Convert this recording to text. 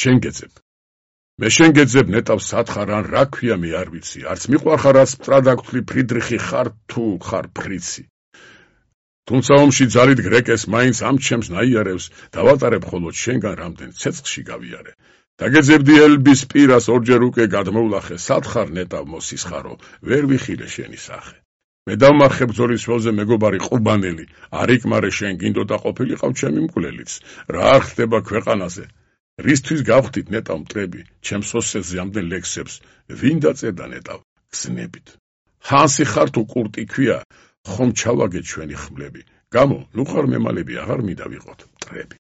შენ გეძებ. მე შენ გეძებ ნეტავ სათხარ ან რა ქვია მე არ ვიცი, არც მიყვარხარ რაც მტრადაგთვლი ფრიდრიხი ხარ თუ ხარ ფრიცი. თუმცა ომში ძალით გრეკეს მაინც ამ ჩემს ნაიარევს დავატარებ ხოლოდ შენგან რამდენ ცეცხლში გავიარე. დაგეძებდი ელბის პირას ორჯერ უკვე გადმოვლახე, სათხარ ნეტავ მოსისხარო, ვერ ვიხილე შენი სახე. მე დავმარხე ბრძოლის ველზე მეგობარი ყუბანელი, არ იკმარე შენ გინდოდა ყოფილიყავ ჩემი მკვლელიც, რა არ ხდება ქვეყანაზე. რისთვის გავხდით ნეტავ მტრები, ჩემს ოსეთზე ამდენ ლექსებს, ვინ დაწერდა ნეტავ გზნებით. ჰანსი ხარ თუ კურტი ქვია, ხომ ჩავაგეთ ჩვენი ხმლები, გამო ნუ ხარ მემალები აღარ მინდა ვიყოთ მტრები.